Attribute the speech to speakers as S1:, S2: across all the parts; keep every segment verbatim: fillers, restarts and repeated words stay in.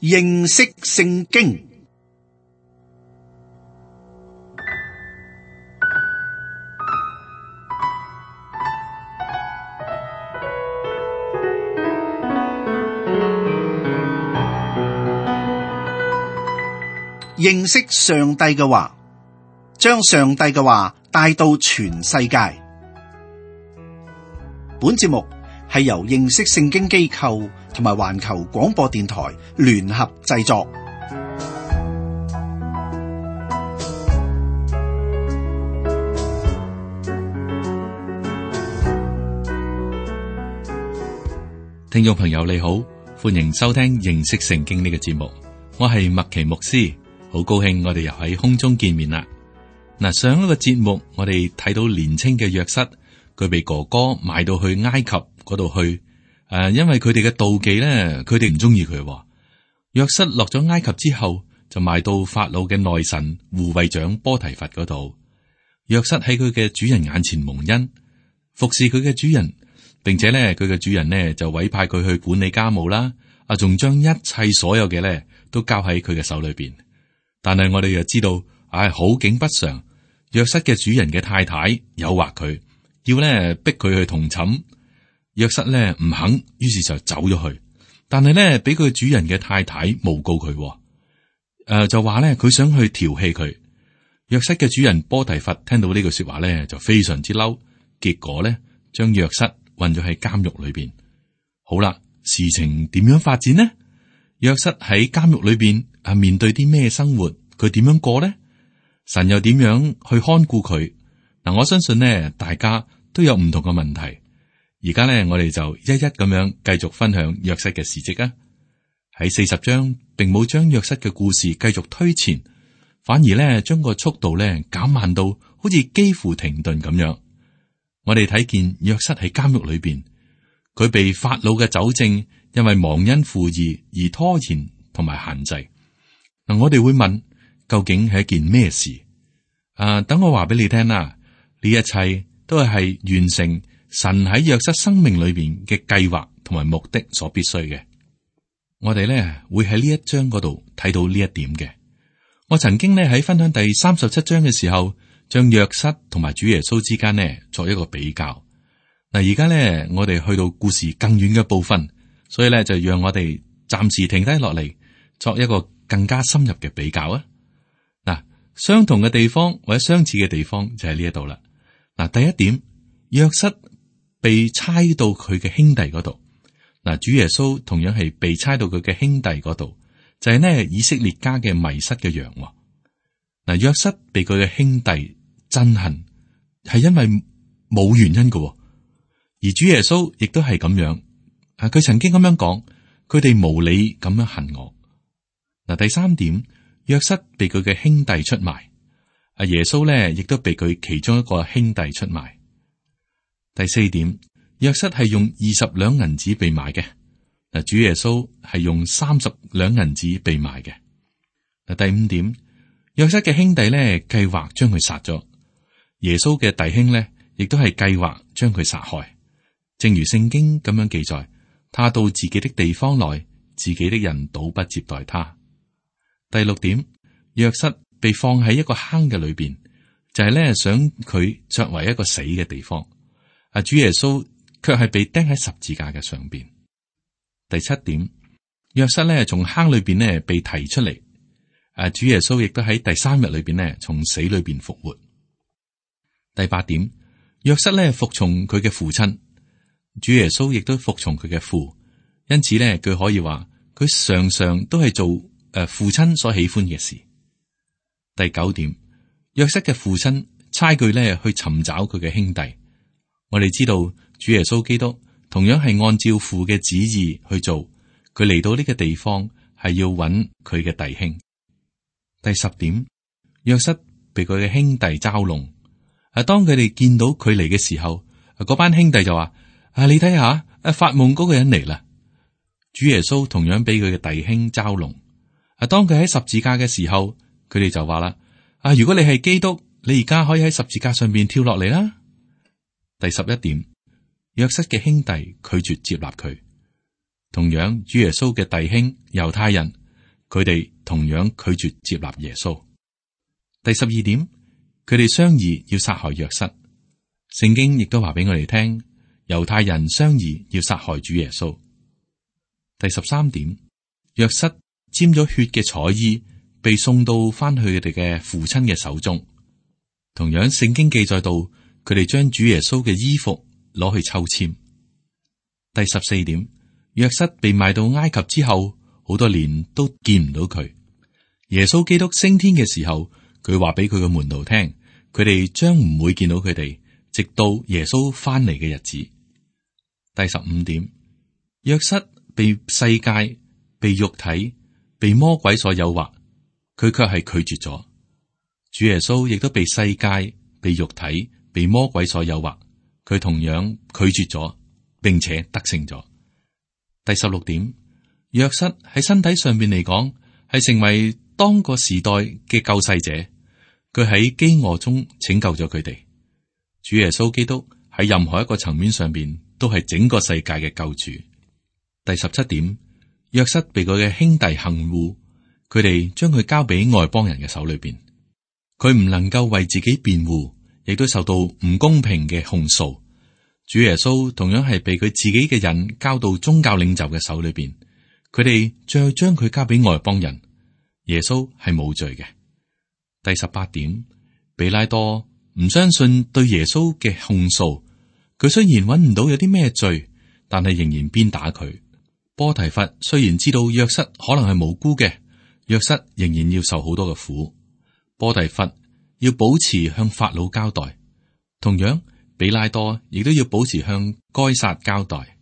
S1: 認識聖經。認識上帝嘅話，將上帝嘅話帶到全世界。本節目係由認識聖經機構同埋環球廣播電台聯合製作。
S2: 聽眾朋友你好，歡迎收聽認識聖經呢個節目，我係麥奇牧師，好高興我哋又喺空中見面啦。嗱，上一個節目我哋睇到年青嘅約瑟，佢被哥哥賣到去埃及嗰度去，誒、呃，因為佢哋嘅妒忌咧，佢哋唔中意佢。約瑟落咗埃及之後，就賣到法老嘅內臣護衛長波提乏嗰度。約瑟喺佢嘅主人眼前蒙恩，服侍佢嘅主人，並且咧佢嘅主人呢就委派佢去管理家務啦，啊，仲將一切所有嘅咧都交喺佢嘅手裏邊。但係我哋又知道，唉、哎，好景不常。約瑟嘅主人嘅太太誘惑佢，要咧逼佢去同寢。約瑟咧唔肯，於是就走咗去。但係咧俾佢主人嘅太太誣告佢，誒、呃、就話咧佢想去調戲佢。約瑟嘅主人波提乏聽到呢句說話咧就非常之嬲，結果咧將約瑟困咗喺監獄裏邊。好啦，事情點樣發展呢？約瑟喺監獄裏邊啊，面對啲咩生活？佢點樣過呢？神又點樣去看顧佢？嗱，我相信呢，大家都有唔同嘅問題。而家呢，我哋就一一咁樣繼續分享約瑟嘅事跡啊。喺四十章，並冇將約瑟嘅故事繼續推前，反而呢將個速度呢減慢到好似幾乎停頓咁樣。我哋睇見約瑟喺監獄裏邊，佢被法老嘅酒政因為忘恩負義而拖延同埋限制。嗱，我哋會問，究竟係一件咩事？啊，等我話俾你聽啦，呢一切都係完成神喺約瑟生命裏邊嘅計劃同埋目的所必須嘅。我哋咧會喺呢一章嗰度睇到呢一點嘅。我曾經咧喺分享第三十七章嘅時候，將約瑟同埋主耶穌之間呢作一個比較。嗱，而家咧我哋去到故事更遠嘅部分，所以咧就讓我哋暫時停低落嚟，作一個更加深入嘅比較啊！嗱，相同嘅地方或者相似嘅地方就喺呢一度啦。嗱，第一點，約瑟被差到佢嘅兄弟嗰度。嗱，主耶穌同樣係被差到佢嘅兄弟嗰度，就係呢以色列家嘅迷失嘅羊。嗱，約瑟被佢嘅兄弟憎恨，係因為冇原因嘅，而主耶穌亦都係咁樣。啊，佢曾經咁樣講，佢哋無理咁樣恨我。嗱，第三點，約瑟被佢嘅兄弟出賣，阿耶穌咧亦都被佢其中一個兄弟出賣。第四點，約瑟係用二十兩銀子被賣嘅，嗱，主耶穌係用三十兩銀子被賣嘅。嗱，第五點，約瑟嘅兄弟咧計劃將佢殺咗，耶穌嘅弟兄咧亦都係計劃將佢殺害，正如聖經咁樣記載，他到自己的地方來，自己的人倒不接待他。第六點，約瑟被放喺一個坑嘅裏邊，就係咧想佢作為一個死嘅地方。啊，主耶穌卻係被釘喺十字架嘅上邊。第七點，約瑟咧從坑裏邊咧被提出嚟。啊，主耶穌亦都喺第三日裏邊咧從死裏邊復活。第八點，約瑟咧服從佢嘅父親，主耶穌亦都服從佢嘅父，因此咧佢可以話佢常常都係做。誒，父親所喜歡嘅事。第九點，約瑟嘅父親差佢咧去尋找佢嘅兄弟。我哋知道主耶穌基督同樣係按照父嘅旨意去做，佢嚟到呢個地方係要揾佢嘅弟兄。第十點，約瑟被佢嘅兄弟嘲弄。啊，當佢哋見到佢嚟嘅時候，嗰班兄弟就話：啊，你睇下，啊，發夢嗰個人嚟啦。主耶穌同樣俾佢嘅弟兄嘲弄。啊！當佢喺十字架嘅時候，佢哋就話啦：啊，如果你係基督，你而家可以喺十字架上邊跳落嚟啦。第十一點，約瑟嘅兄弟拒絕接納佢。同樣，主耶穌嘅弟兄猶太人佢哋同樣拒絕接納耶穌。第十二點，佢哋商議要殺害約瑟。聖經亦都話俾我哋聽，猶太人商議要殺害主耶穌。第十三點，約瑟沾咗血嘅彩衣被送到翻去佢哋嘅父親嘅手中。同樣，聖經記載到佢哋將主耶穌嘅衣服攞去抽籤。第十四點，約瑟被賣到埃及之後，好多年都見唔到佢。耶穌基督升天嘅時候，佢話俾佢嘅門徒聽，佢哋將唔會見到佢哋，直到耶穌翻嚟嘅日子。第十五點，約瑟被世界、被肉體、被魔鬼所誘惑，佢卻係拒絕咗。主耶穌亦都被世界、被肉體、被魔鬼所誘惑，佢同樣拒絕咗，並且得勝咗。第十六點，約瑟喺身體上面嚟講，係成為當個時代嘅救世者，佢喺飢餓中拯救咗佢哋。主耶穌基督喺任何一個層面上邊，都係整個世界嘅救主。第十七點，約瑟被佢嘅兄弟行護，佢哋將佢交俾外邦人嘅手裏邊，佢唔能夠為自己辯護，亦都受到唔公平嘅控訴。主耶穌同樣係被佢自己嘅人交到宗教領袖嘅手裏邊，佢哋再將佢交俾外邦人。耶穌係冇罪嘅。第十八點，比拉多唔相信對耶穌嘅控訴，佢雖然揾唔到有啲咩罪，但係仍然鞭打佢。波提乏雖然知道約瑟可能係無辜嘅，約瑟仍然要受好多嘅苦。波提乏要保持向法老交代，同樣比拉多亦都要保持向該撒交代。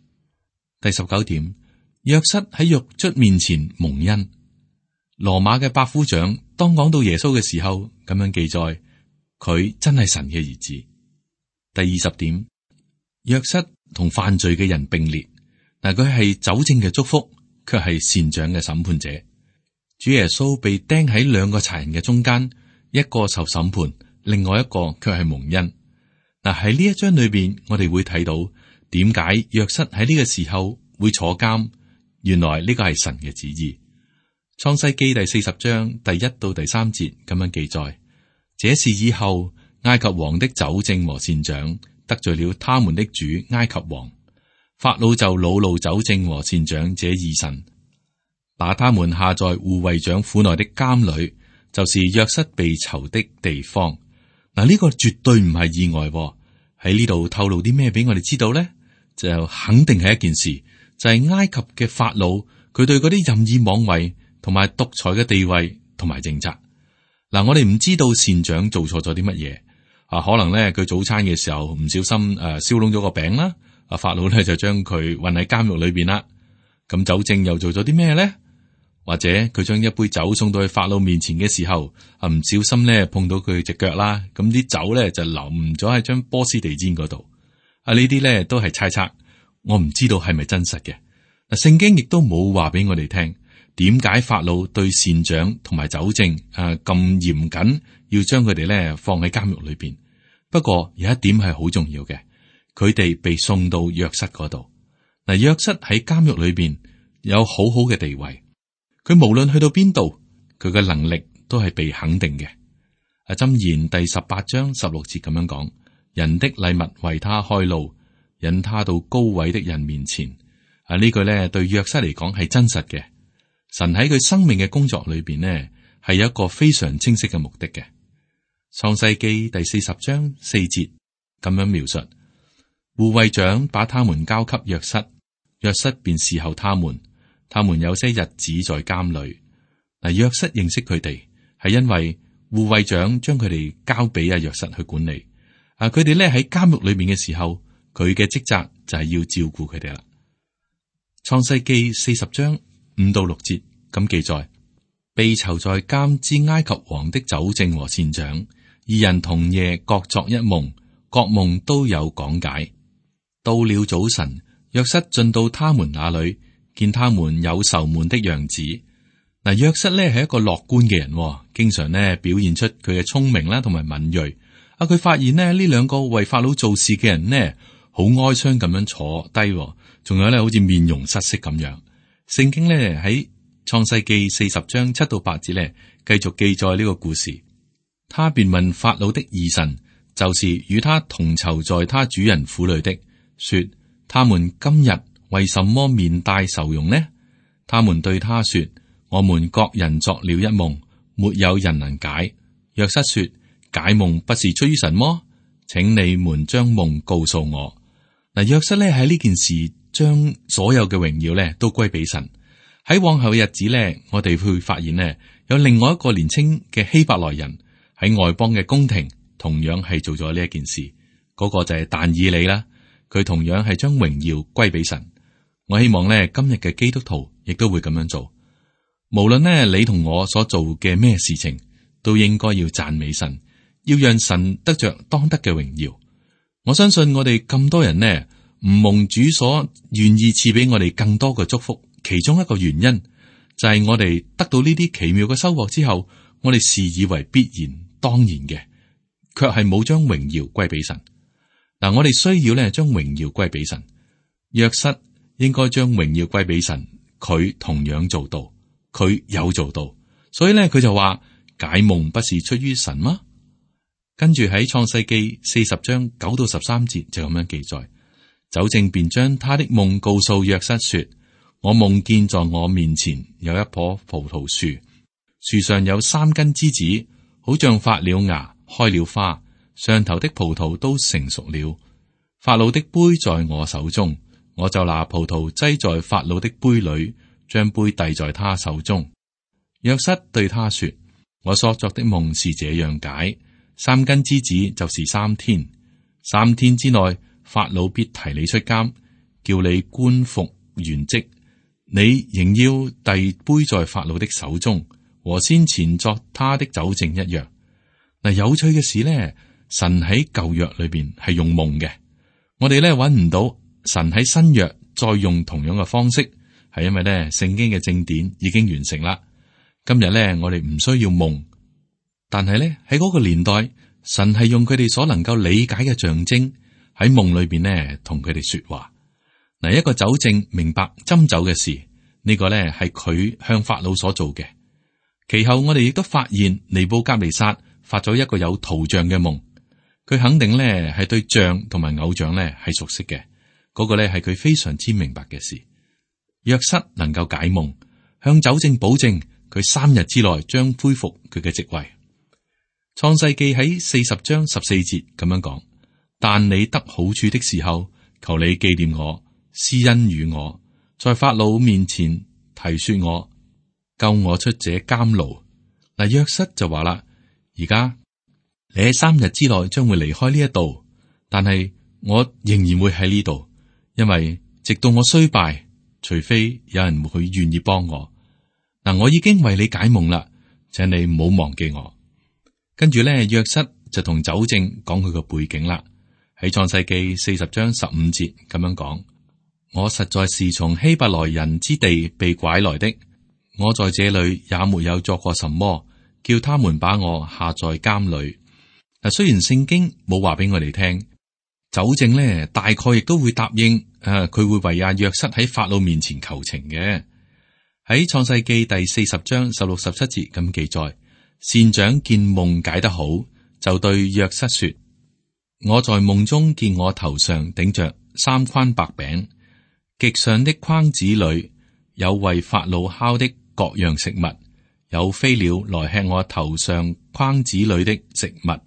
S2: 第十九點，約瑟喺獄卒面前蒙恩。羅馬嘅百夫長當講到耶穌嘅時候，咁樣記載，佢真係神嘅兒子。第二十點，約瑟同犯罪嘅人並列，嗱，佢係酒政嘅祝福，卻係善長嘅審判者。主耶穌被釘喺兩個賊人嘅中間，一個受審判，另外一個卻係蒙恩。嗱，喺呢一章裏邊，我哋會睇到點解約瑟喺呢個時候會坐監，原來呢個係神嘅旨意。創世記第四十章第一到第三節咁樣記載：這事以後，埃及王的酒政和善長得罪了他們的主埃及王，法老就惱怒酒政和善長這二神，把他們下在護衛長府內的監裏，就是約瑟被囚的地方。嗱，呢個絕對唔係意外喎。喺呢度透露啲咩俾我哋知道呢？就肯定係一件事，就係、是、埃及嘅法老，佢對嗰啲任意妄為同埋獨裁嘅地位同埋政策。嗱，我哋唔知道善長做錯咗啲乜嘢啊？可能咧佢早餐嘅時候唔小心誒燒燶咗個餅啦，啊法老咧就將佢運喺監獄裏邊啦。咁酒政又做咗啲咩咧？或者佢將一杯酒送到去法老面前嘅時候，啊唔小心咧碰到佢隻腳啦，咁啲酒咧就淋咗喺張波斯地氈嗰度。啊呢啲咧都係猜測，我唔知道係咪真實嘅。嗱，聖經亦都冇話俾我哋聽。點解法老對善長同埋酒政啊咁嚴謹，要將佢哋咧放喺監獄裏邊？不過有一點係好重要嘅，佢哋被送到約瑟嗰度。嗱，約瑟喺監獄裏邊有好好嘅地位，佢無論去到邊度，佢嘅能力都係被肯定嘅。啊，箴言第十八章十六節咁樣講：人的禮物為他開路，引他到高位的人面前。啊，呢句咧對約瑟嚟講係真實嘅。神喺佢生命嘅工作裏邊呢，係有一個非常清晰嘅目的嘅。創世記第四十章四節咁樣描述：護衛長把他們交給約瑟，約瑟便侍候他們。他們有些日子在監裏。嗱，約瑟認識佢哋，係因為護衛長將佢哋交俾阿約瑟去管理。啊，佢哋咧喺監獄裏面嘅時候，佢嘅職責就係要照顧佢哋啦。創世記四十章五到六節咁記載：被囚在監之埃及王的酒政和善長，二人同夜各作一夢，各夢都有講解。到了早晨，約瑟進到他們那裏，見他們有愁悶的樣子。嗱，約瑟咧係一個樂觀嘅人，經常咧表現出佢嘅聰明啦，同埋敏銳。啊，佢發現咧呢兩個為法老做事嘅人呢，好哀傷咁樣坐低，仲有咧好似面容失色咁樣。聖經咧喺創世記四十章七到八節呢，繼續記載呢個故事。他便問法老的二臣，就是與他同囚在他主人府裏的，說：他們今日為什麼面帶愁容呢？他們對他說：我們各人作了一夢，沒有人能解。約瑟說：解夢不是出於神麼？請你們將夢告訴我。嗱，約瑟咧喺呢件事將所有嘅榮耀咧都歸俾神。喺往後嘅日子咧，我哋會發現呢，有另外一個年輕嘅希伯來人喺外邦嘅宮廷，同樣係做咗呢一件事。嗰、那個就係但以理啦，佢同樣係將榮耀歸俾神。我希望咧今日嘅基督徒亦都會咁樣做。無論呢你同我所做嘅咩事情，都應該要讚美神，要讓神得着當得嘅榮耀。我相信我哋咁多人呢，唔蒙主所願意賜俾我哋更多嘅祝福，其中一個原因就係我哋得到呢啲奇妙嘅收穫之後，我哋視以為必然當然嘅，卻係冇將榮耀歸俾神。嗱，我哋需要咧將榮耀歸俾神。約瑟應該將榮耀歸俾神，佢同樣做到，佢有做到，所以咧佢就話解夢不是出於神嗎？跟住喺創世記四十章九到十三節就咁樣記載，酒政便將他的夢告訴約瑟說：我夢見在我面前有一棵葡萄樹，樹上有三根枝子，好像發了芽，開了花，上頭的葡萄都成熟了。法老的杯在我手中，我就拿葡萄擠在法老的杯裏，將杯遞在他手中。約瑟對他說：我所作的夢是這樣解，三根枝子就是三天，三天之內法老必提你出監，叫你官復原職。你仍要遞杯在法老的手中，和先前作他的酒政一樣。嗱，有趣嘅事呢，神喺舊約裏邊係用夢嘅，我哋咧揾唔到神喺新約再用同樣嘅方式，係因為咧聖經嘅正典已經完成啦。今日咧我哋唔需要夢，但係咧喺嗰個年代，神係用佢哋所能夠理解嘅象徵喺夢裏邊呢同佢哋說話。嗱，一個酒政明白斟酒嘅事，呢、這個咧係佢向法老所做嘅。其後我哋亦都發現尼布甲尼撒發咗一個有圖像嘅夢，佢肯定咧係對像同埋偶像咧係熟悉嘅，嗰、那個咧係佢非常之明白嘅事。約瑟能夠解夢，向酒政保證佢三日之內將恢復佢嘅職位。創世記喺四十章十四節咁樣講：但你得好處的時候，求你紀念我，施恩與我，在法老面前提說我，救我出這監牢。嗱，約瑟就話啦：而家你喺三日之內將會離開呢一度，但係我仍然會喺呢度，因為直到我衰敗，除非有人會願意幫我。嗱，我已經為你解夢啦，請你唔好忘記我。跟住咧，約瑟就同酒政講佢個背景啦。喺創世記四十章十五節咁樣講：我實在是從希伯來人之地被拐來的，我在這裏也沒有作過什麼，叫他們把我下在監裏。嗱，雖然聖經冇話俾我哋聽，酒政咧大概亦都會答應，誒、啊，佢會為阿約瑟喺法老面前求情嘅。喺創世記第四十章十六十七節咁記載，善長見夢解得好，就對約瑟說：我在夢中見我頭上頂着三筐白餅，極上的筐子裏有為法老烤的各樣食物，有飛鳥來吃我頭上筐子裏的食物。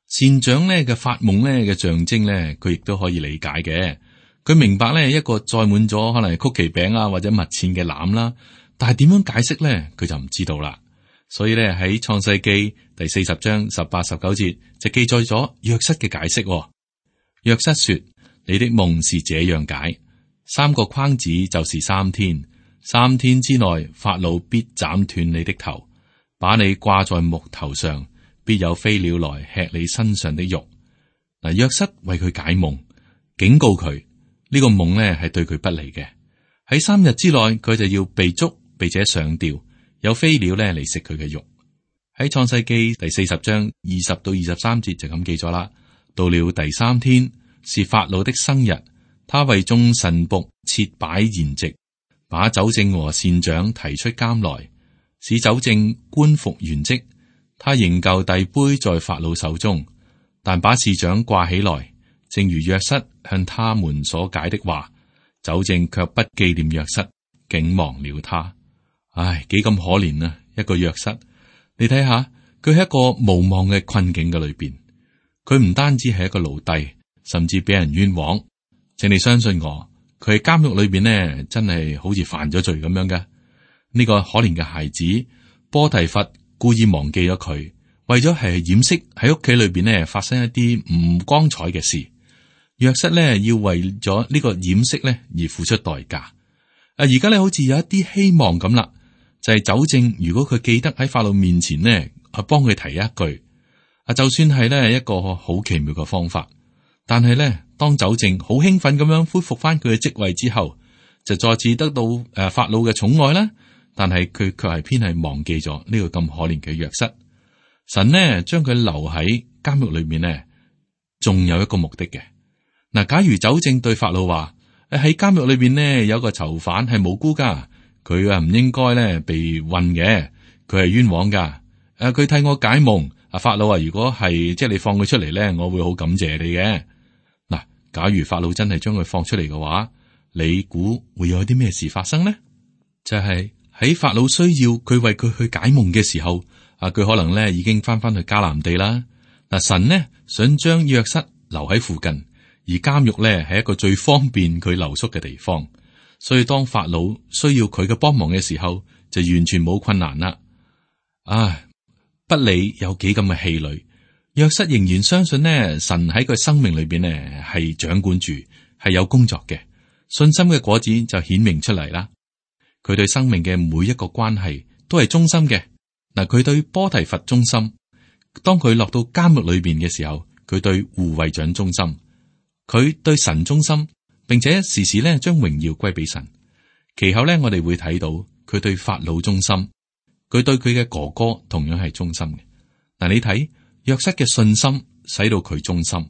S2: 善長呢嘅發夢呢嘅象徵呢，佢亦都可以理解嘅。佢明白呢一個載滿咗可能係曲奇餅啊或者蜜餞嘅籃啦，但係點樣解釋呢？佢就唔知道啦。所以呢，喺創世記第四十章十八十九節就記載咗約瑟嘅解釋。約瑟說：你的夢是這樣解，三個筐子就是三天，三天之內法老必斬斷你的頭，把你掛在木頭上，必有飛鳥來吃你身上的肉。嗱，約瑟為佢解夢，警告佢呢個夢呢係對佢不利嘅。喺三日之內，佢就要被捉，並且上吊，有飛鳥呢嚟食佢嘅肉。喺創世記第四十章二十到二十三節就咁記咗啦。到了第三天，是法老的生日，他為眾臣僕設擺筵席，把酒政和善長提出監來，使酒政官復原職。他仍舊遞杯在法老手中，但把士長掛起來，正如約瑟向他們所解的話。酒政卻不紀念約瑟，竟忘了他。唉，幾咁可憐啊！一個約瑟，你睇下，佢喺一個無望嘅困境嘅裏邊，佢唔單止係一個奴隸，甚至俾人冤枉。請你相信我，佢喺監獄裏邊呢，真係好似犯咗罪咁樣嘅。呢、這個可憐嘅孩子波提乏故意忘記咗佢，為咗係掩飾喺屋企裏邊呢發生一啲唔光彩嘅事。約瑟呢要為咗呢個掩飾呢而付出代價。啊，而家呢好似有一啲希望咁啦，就係、是、酒政如果佢記得喺法老面前呢，啊幫佢提一句，啊就算係呢一個好奇妙嘅方法，但係呢當酒政好興奮咁樣恢復翻佢嘅職位之後，就再次得到誒法老嘅寵愛啦。但係佢卻係偏係忘記咗呢個咁可憐嘅約瑟。神呢將佢留喺監獄裏面呢，仲有一個目的嘅。嗱，假如酒政對法老話誒喺監獄裏邊呢有個囚犯係無辜噶，佢啊唔應該咧被困嘅，佢係冤枉噶。誒，佢替我解夢。啊，法老啊，如果係即係你放佢出嚟咧，我會好感謝你嘅。嗱，假如法老真係將佢放出嚟嘅話，你估會有啲咩事發生呢？就係、是。喺法老需要佢為佢去解夢嘅時候，啊，佢可能咧已經翻翻去迦南地啦。嗱，神呢想將約瑟留喺附近，而監獄咧係一個最方便佢留宿嘅地方，所以當法老需要佢嘅幫忙嘅時候，就完全冇困難啦。啊，不理有幾咁嘅氣餒，約瑟仍然相信呢，神喺佢生命裏邊呢係掌管住，係有工作嘅，信心嘅果子就顯明出嚟啦。佢對生命嘅每一個關係都係忠心嘅。嗱，佢對波提乏忠心，當佢落到監獄裏邊嘅時候，佢對護衛長忠心，佢對神忠心，並且時時咧將榮耀歸俾神。其後咧，我哋會睇到佢對法老忠心，佢對佢嘅哥哥同樣係忠心嘅。嗱，你睇約瑟嘅信心使到佢忠心。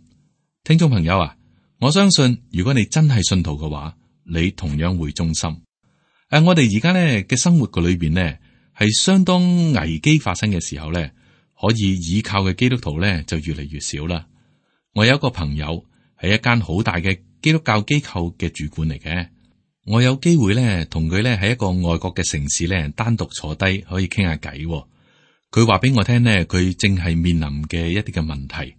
S2: 聽眾朋友啊，我相信如果你真係信徒嘅話，你同樣會忠心。誒、啊，我哋而家咧嘅生活嘅裏邊呢，係相當危機發生嘅時候咧，可以依靠嘅基督徒咧就越嚟越少啦。我有一個朋友係一間好大嘅基督教機構嘅主管嚟嘅，我有機會咧同佢咧喺一個外國嘅城市咧單獨坐低可以傾下偈。佢話俾我聽呢，佢正係面臨嘅一啲嘅問題。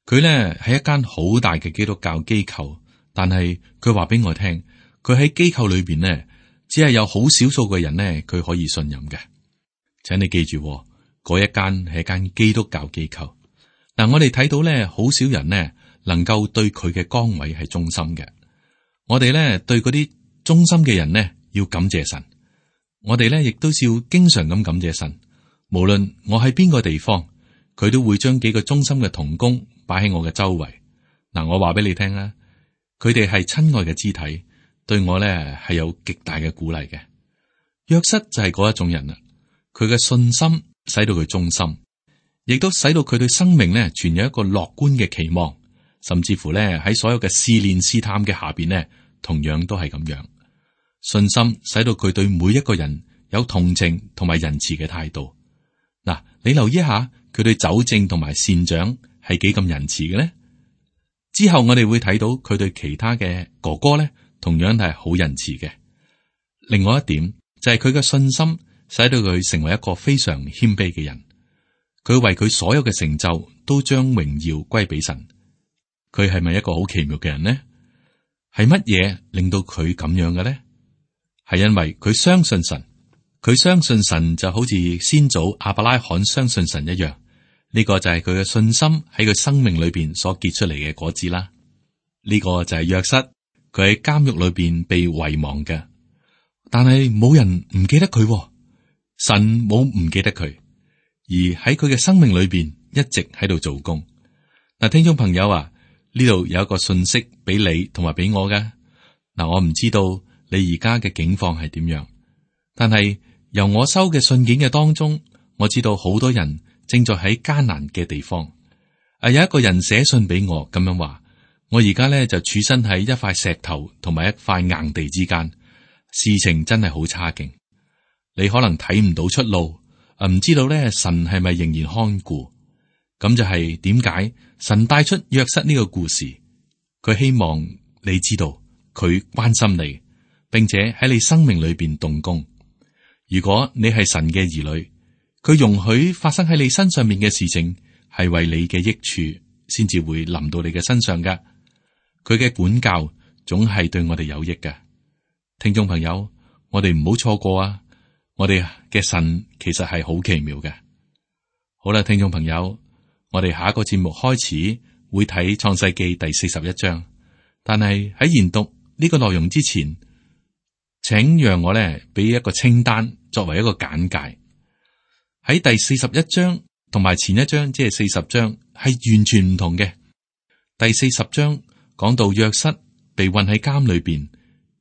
S2: 佢咧係一間好大嘅基督教機構，但係佢話俾我聽，佢喺機構裏邊呢。只係有好少數嘅人呢，佢可以信任嘅。請你記住，嗰一間係一間基督教機構。嗱，我哋睇到咧，好少人呢能夠對佢嘅崗位係忠心嘅。我哋咧對嗰啲忠心嘅人呢，要感謝神。我哋咧亦都要經常咁感謝神。無論我喺邊個地方，佢都會將幾個忠心嘅同工擺喺我嘅周圍。嗱，我話俾你聽啦，佢哋係親愛嘅肢體。對我咧係有極大嘅鼓勵嘅。約瑟就係嗰一種人啦，佢嘅信心使到佢忠心，亦都使到佢對生命咧存有一個樂觀嘅期望，甚至乎咧喺所有嘅試煉試探嘅下邊咧，同樣都係咁樣。信心使到佢對每一個人有同情同埋仁慈嘅態度。嗱，你留意一下佢對酒政同埋善長係幾咁仁慈嘅咧？之後我哋會睇到佢對其他嘅哥哥咧。同樣係好仁慈嘅。另外一點就係佢嘅信心，使到佢成為一個非常謙卑嘅人。佢為佢所有嘅成就都將榮耀歸俾神。佢係咪一個好奇妙嘅人呢？係乜嘢令到佢咁樣嘅呢？係因為佢相信神。佢相信神就好似先祖亞伯拉罕相信神一樣。呢個就係佢嘅信心喺佢生命裏邊所結出嚟嘅果子啦。呢個就係約瑟。佢喺監獄裏邊被遺忘嘅，但係冇人唔記得佢，神冇唔記得佢，而喺佢嘅生命裏邊一直喺度做工。嗱，聽眾朋友啊，呢度有一個信息俾你同埋俾我嘅。嗱，我唔知道你而家嘅境況係點樣，但係由我收嘅信件嘅當中，我知道好多人正在喺艱難嘅地方。啊，有一個人寫信俾我咁樣話。我而家咧就處身喺一塊石頭同埋一塊硬地之間，事情真係好差勁，你可能睇唔到出路，啊唔知道咧神係咪仍然看顧？咁就係點解神帶出約瑟呢個故事？佢希望你知道佢關心你，並且喺你生命裏邊動工。如果你係神嘅兒女，佢容許發生喺你身上面嘅事情，係為你嘅益處，先至會臨到你嘅身上㗎。佢嘅管教總係對我哋有益嘅。聽眾朋友，我哋唔好錯過啊！我哋嘅神其實係好奇妙嘅。好啦，聽眾朋友，我哋下一個節目開始會睇創世記第四十一章，但係喺研讀呢個內容之前，請讓我咧俾一個清單作為一個簡介。喺第四十一章同埋前一章，即係四十章，係完全唔同嘅。第四十章講到約瑟被困喺監裏邊，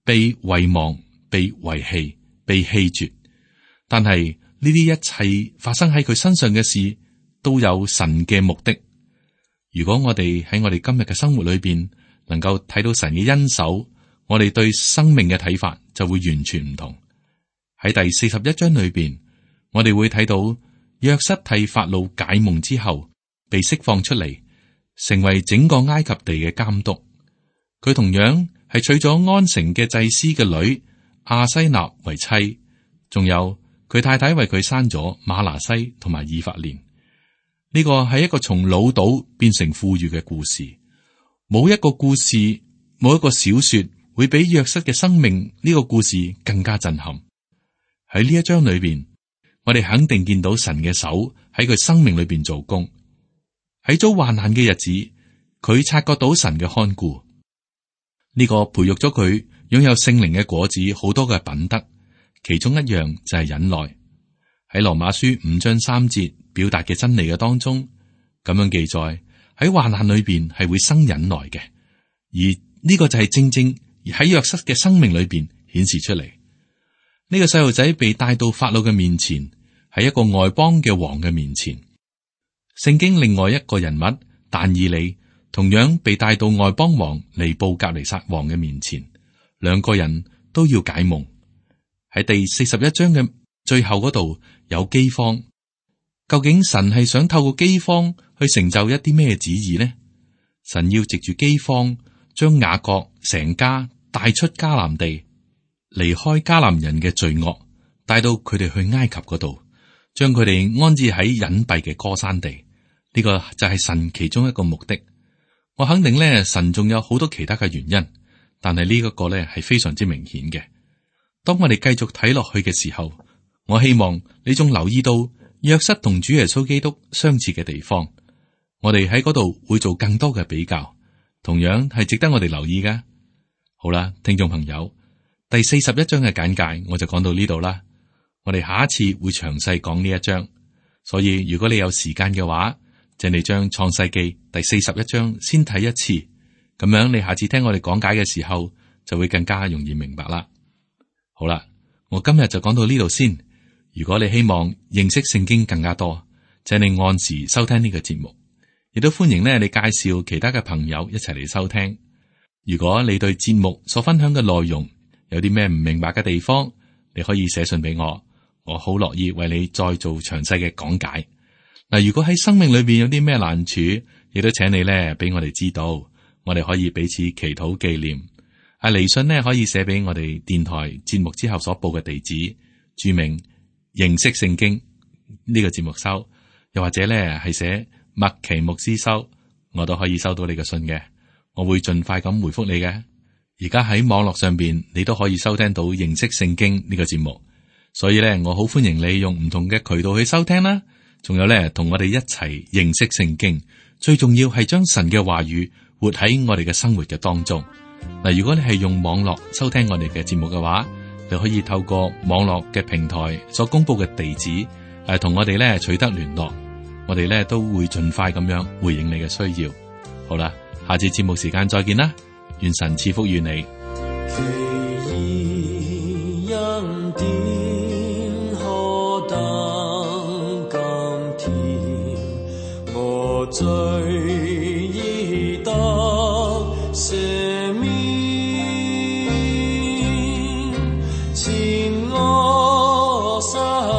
S2: 被遺忘、被遺棄、被棄絕，但係呢啲一切發生喺佢身上嘅事，都有神嘅目的。如果我哋喺我哋今日嘅生活裏邊能夠睇到神嘅恩手，我哋對生命嘅睇法就會完全唔同。喺第四十一章裏邊，我哋會睇到約瑟替法老解夢之後，被釋放出嚟，成為整個埃及地嘅監督。佢同樣係娶咗安城嘅祭司嘅女亞西納為妻，仲有佢太太為佢生咗馬拿西同埋以法蓮。呢個係一個從潦倒變成富裕嘅故事。冇一個故事，冇一個小說會比約瑟嘅生命呢個故事更加震撼。喺呢一章裏邊，我哋肯定見到神嘅手喺佢生命裏邊做工。喺遭患難嘅日子，佢察覺到神嘅看顧。呢個培育咗佢擁有聖靈嘅果子，好多嘅品德，其中一樣就係忍耐。喺羅馬書五章三節表達嘅真理嘅當中，咁樣記載，喺患難裏邊係會生忍耐嘅，而呢個就係正正喺約瑟嘅生命裏邊顯示出嚟。呢個細路仔被帶到法老嘅面前，喺一個外邦嘅王嘅面前。聖經另外一個人物但以理同樣被帶到外邦王尼布甲尼撒王嘅面前，兩個人都要解夢。喺第四十一章嘅最後嗰度有饑荒，究竟神係想透過饑荒去成就一啲咩旨意呢？神要藉住饑荒將雅各成家帶出迦南地，離開迦南人嘅罪惡，帶到佢哋去埃及嗰度，將佢哋安置喺隱蔽嘅歌珊地。呢個就係神其中一個目的。我肯定咧，神仲有好多其他嘅原因，但係呢一個咧係非常之明顯嘅。當我哋繼續睇落去嘅時候，我希望你仲留意到約瑟同主耶穌基督相似嘅地方。我哋喺嗰度會做更多嘅比較，同樣係值得我哋留意嘅。好啦，聽眾朋友，第四十一章嘅簡介我就講到呢度啦。我哋下一次會詳細講呢一章，所以如果你有時間嘅話，請你將創世記第四十一章先睇一次，咁樣你下次聽我哋講解嘅時候就會更加容易明白啦。好啦，我今日就講到呢度先。如果你希望認識聖經更加多，請你按時收聽呢個節目，亦都歡迎咧你介紹其他嘅朋友一齊嚟收聽。如果你對節目所分享嘅內容有啲咩唔明白嘅地方，你可以寫信俾我，我好樂意為你再做詳細嘅講解。嗱，如果喺生命裏邊有啲咩難處，亦都請你咧俾我哋知道，我哋可以彼此祈禱紀念。阿嚟信呢，可以寫俾我哋電台節目之後所報嘅地址，注明認識聖經呢個節目收，又或者咧係寫麥奇牧師收，我都可以收到你嘅信嘅，我會盡快咁回覆你嘅。而家喺網絡上邊，你都可以收聽到認識聖經呢個節目，所以咧我好歡迎你用唔同嘅渠道去收聽啦。仲有咧，同我哋一齊認識聖經，最重要係將神嘅話語活喺我哋嘅生活嘅當中。嗱，如果你係用網絡收聽我哋嘅節目嘅話，你可以透過網絡嘅平台所公布嘅地址，誒，同我哋咧取得聯絡，我哋咧都會盡快咁樣回應你嘅需要。好啦，下次節目時間再見啦，願神賜福於你。
S3: 罪已得赦免，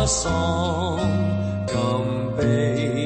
S3: 喪，禁悲